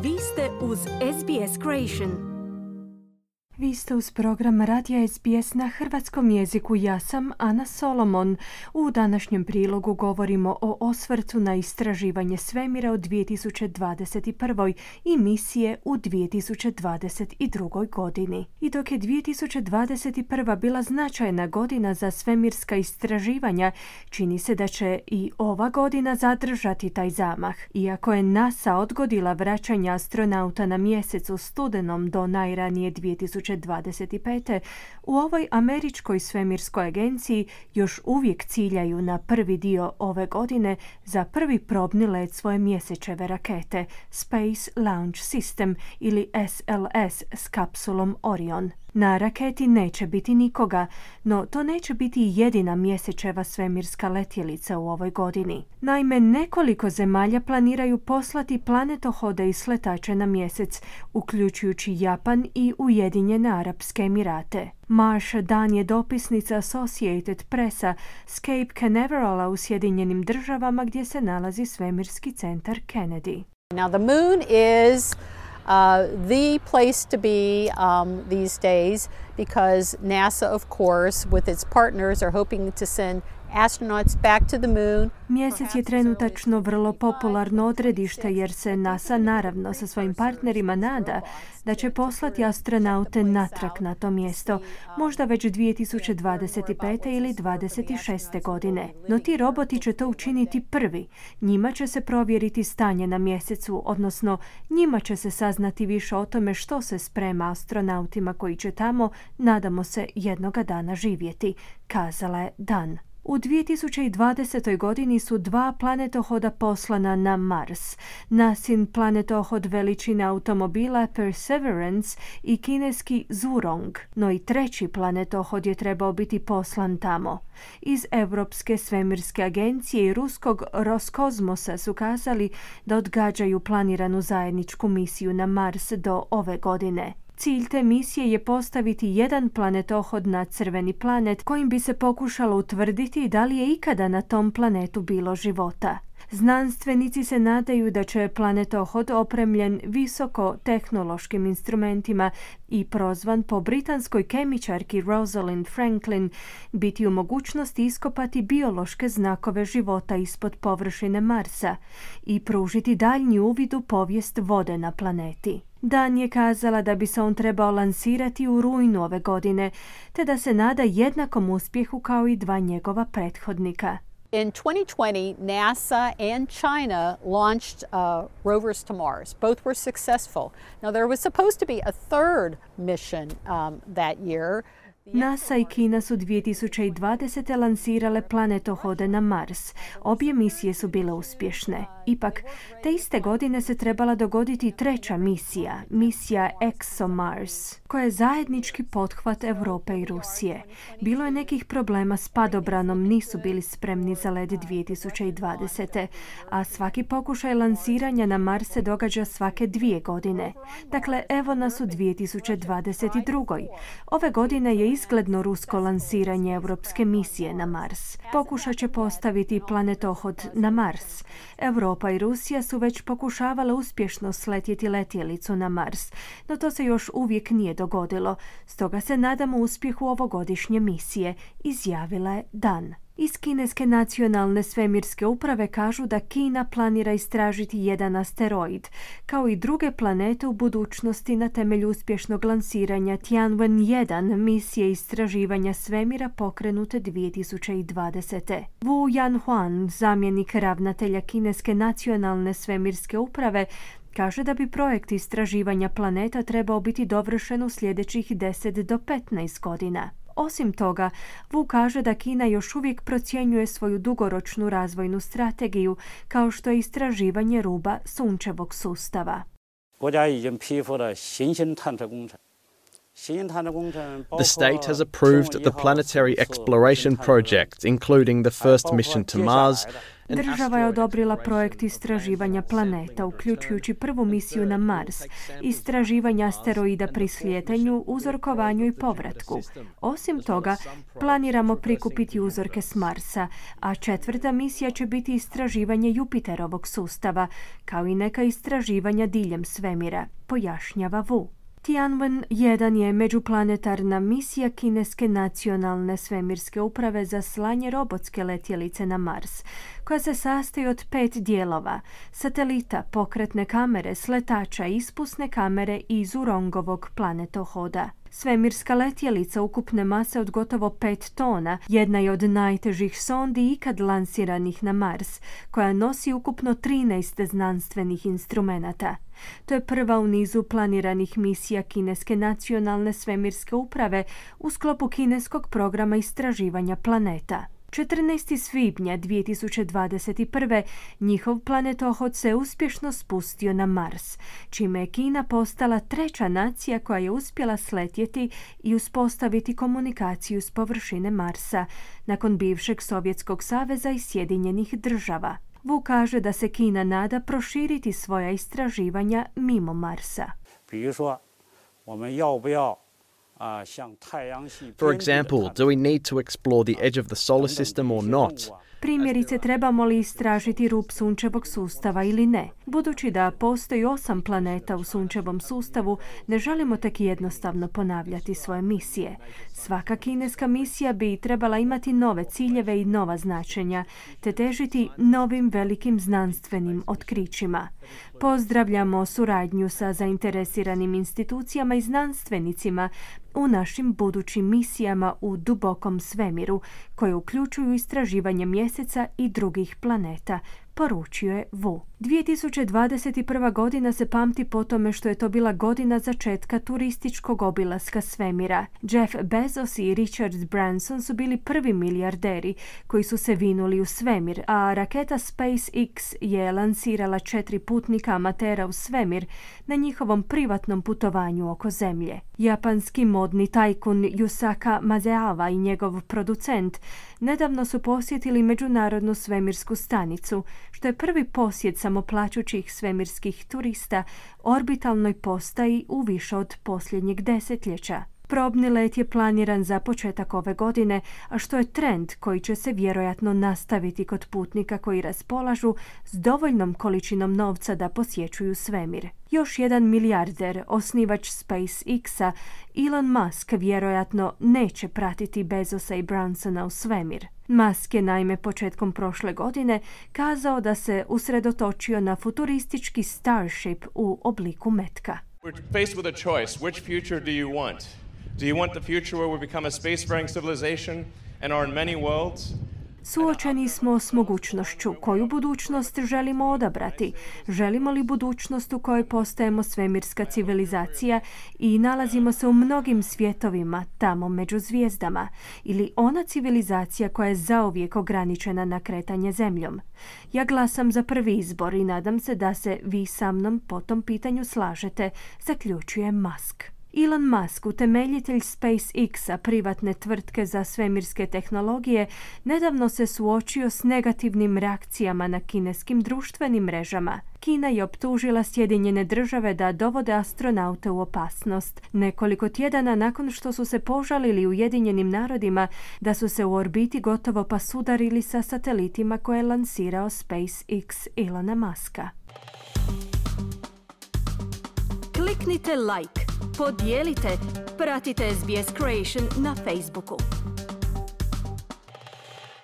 Vi ste uz SBS Creation. Vi ste uz program Radija SBS na hrvatskom jeziku. Ja sam Ana Solomon. U današnjem prilogu govorimo o osvrtu na istraživanje svemira u 2021. i misije u 2022. godini. I dok je 2021. bila značajna godina za svemirska istraživanja, čini se da će i ova godina zadržati taj zamah. Iako je NASA odgodila vraćanje astronauta na mjesec u studenom do najranije 2025. U ovoj američkoj svemirskoj agenciji još uvijek ciljaju na prvi dio ove godine za prvi probni let svoje mjesečeve rakete Space Launch System ili SLS s kapsulom Orion. Na raketi neće biti nikoga, no to neće biti jedina mjesečeva svemirska letjelica u ovoj godini. Naime, nekoliko zemalja planiraju poslati planetohode i sletače na mjesec, uključujući Japan i Ujedinjene Arapske Emirate. Marsha Dan je dopisnica Associated Pressa s Cape Canaverala u Sjedinjenim Državama gdje se nalazi svemirski centar Kennedy. Now the moon is the place to be these days because NASA, of course, with its partners are hoping to send astronauts back to the moon. Mjesec je trenutačno vrlo popularno odredište jer se NASA naravno sa svojim partnerima nada da će poslati astronaute natrag na to mjesto, možda već 2025. ili 2026. godine. No ti roboti će to učiniti prvi. Njima će se provjeriti stanje na mjesecu, odnosno njima će se saznati više o tome što se sprema astronautima koji će tamo, nadamo se, jednoga dana živjeti, kazala je Dan. U 2020. godini su 2 planetohoda poslana na Mars. NASIN planetohod veličine automobila Perseverance i kineski Zhurong, no i 3. planetohod je trebao biti poslan tamo. Iz Europske svemirske agencije i ruskog Roskosmosa su kazali da odgađaju planiranu zajedničku misiju na Mars do ove godine. Cilj te misije je postaviti jedan planetohod na crveni planet kojim bi se pokušalo utvrditi da li je ikada na tom planetu bilo života. Znanstvenici se nadaju da će planetohod opremljen visoko tehnološkim instrumentima i prozvan po britanskoj kemičarki Rosalind Franklin biti u mogućnosti iskopati biološke znakove života ispod površine Marsa i pružiti daljnji uvid u povijest vode na planeti. Dan je kazala da bi se on trebao lansirati u rujnu ove godine, te da se nada jednakom uspjehu kao i 2 njegova prethodnika. In 2020, NASA and China launched rovers to Mars. Both were successful. Now, there was supposed to be a third mission that year. NASA i Kina su 2020. lansirale planetohode na Mars. Obje misije su bile uspješne. Ipak, te iste godine se trebala dogoditi 3. misija ExoMars, koja je zajednički pothvat Europe i Rusije. Bilo je nekih problema s padobranom, nisu bili spremni za let 2020. A svaki pokušaj lansiranja na Mars se događa svake 2 godine. Dakle, evo nas u 2022. Ove godine je izgledno rusko lansiranje europske misije na Mars. Pokušat će postaviti planetohod na Mars. Europa i Rusija su već pokušavale uspješno sletjeti letjelicu na Mars, no to se još uvijek nije dogodilo. Stoga se nadamo uspjehu ovogodišnje misije, izjavila je Dan. Iz Kineske nacionalne svemirske uprave kažu da Kina planira istražiti jedan asteroid, kao i druge planete u budućnosti na temelju uspješnog lansiranja Tianwen-1 misije istraživanja svemira pokrenute 2020. Wu Yanhuan, zamjenik ravnatelja Kineske nacionalne svemirske uprave, kaže da bi projekt istraživanja planeta trebao biti dovršen u sljedećih 10 do 15 godina. Osim toga, Wu kaže da Kina još uvijek procjenjuje svoju dugoročnu razvojnu strategiju, kao što je istraživanje ruba sunčevog sustava. The state has approved the planetary exploration project, including the first mission to Mars. Država je odobrila projekt istraživanja planeta, uključujući prvu misiju na Mars, istraživanja asteroida pri slijetanju, uzorkovanju i povratku. Osim toga, planiramo prikupiti uzorke s Marsa, a 4. misija će biti istraživanje Jupiterovog sustava, kao i neka istraživanja diljem svemira, pojašnjava Wu. Tianwen-1 je međuplanetarna misija kineske nacionalne svemirske uprave za slanje robotske letjelice na Mars, koja se sastoji od 5 dijelova: satelita, pokretne kamere, sletača, ispusne kamere i Zhurongovog planetohoda. Svemirska letjelica ukupne mase od gotovo 5 tona jedna je od najtežih sondi ikad lansiranih na Mars, koja nosi ukupno 13 znanstvenih instrumenata. To je prva u nizu planiranih misija kineske nacionalne svemirske uprave u sklopu kineskog programa istraživanja planeta. 14. svibnja 2021. njihov planetohod se uspješno spustio na Mars, čime je Kina postala 3. nacija koja je uspjela sletjeti i uspostaviti komunikaciju s površine Marsa, nakon bivšeg Sovjetskog saveza i Sjedinjenih država. Wu kaže da se Kina nada proširiti svoja istraživanja mimo Marsa. For example, do we need to explore the edge of the solar system or not? Primjerice, trebamo li istražiti rub sunčevog sustava ili ne? Budući da postoji 8 planeta u sunčevom sustavu, ne želimo tek jednostavno ponavljati svoje misije. Svaka kineska misija bi trebala imati nove ciljeve i nova značenja, te težiti novim velikim znanstvenim otkrićima. Pozdravljamo suradnju sa zainteresiranim institucijama i znanstvenicima u našim budućim misijama u dubokom svemiru, koje uključuju istraživanje mjeseca i drugih planeta, poručio je Wu. 2021. godina se pamti po tome što je to bila godina začetka turističkog obilaska svemira. Jeff Bezos i Richard Branson su bili prvi milijarderi koji su se vinuli u svemir, a raketa SpaceX je lansirala 4 putnika amatera u svemir na njihovom privatnom putovanju oko Zemlje. Japanski modni tajkun Yusaka Maezawa i njegov producent nedavno su posjetili Međunarodnu svemirsku stanicu, što je prvi posjet samoplaćućih svemirskih turista orbitalnoj postaji u više od posljednjeg desetljeća. Probni let je planiran za početak ove godine, a što je trend koji će se vjerojatno nastaviti kod putnika koji raspolažu s dovoljnom količinom novca da posjećuju svemir. Još jedan milijarder, osnivač SpaceX-a, Elon Musk, vjerojatno neće pratiti Bezosa i Bransona u svemir. Musk je naime početkom prošle godine kazao da se usredotočio na futuristički Starship u obliku metka. We're faced with a choice. Which future do you want? Do you want the future where we become a spacefaring civilization and are in many worlds? Suočeni smo s mogućnošću. Koju budućnost želimo odabrati? Želimo li budućnost u kojoj postajemo svemirska civilizacija i nalazimo se u mnogim svjetovima, tamo među zvijezdama? Ili ona civilizacija koja je zauvijek ograničena na kretanje Zemljom? Ja glasam za prvi izbor i nadam se da se vi sa mnom po tom pitanju slažete, zaključuje Musk. Elon Musk, utemeljitelj SpaceX-a, privatne tvrtke za svemirske tehnologije, nedavno se suočio s negativnim reakcijama na kineskim društvenim mrežama. Kina je optužila Sjedinjene države da dovode astronaute u opasnost, nekoliko tjedana nakon što su se požalili Ujedinjenim narodima da su se u orbiti gotovo pa sudarili sa satelitima koje je lansirao SpaceX Elona Muska. Kliknite like, podijelite, pratite SBS Creation na Facebooku.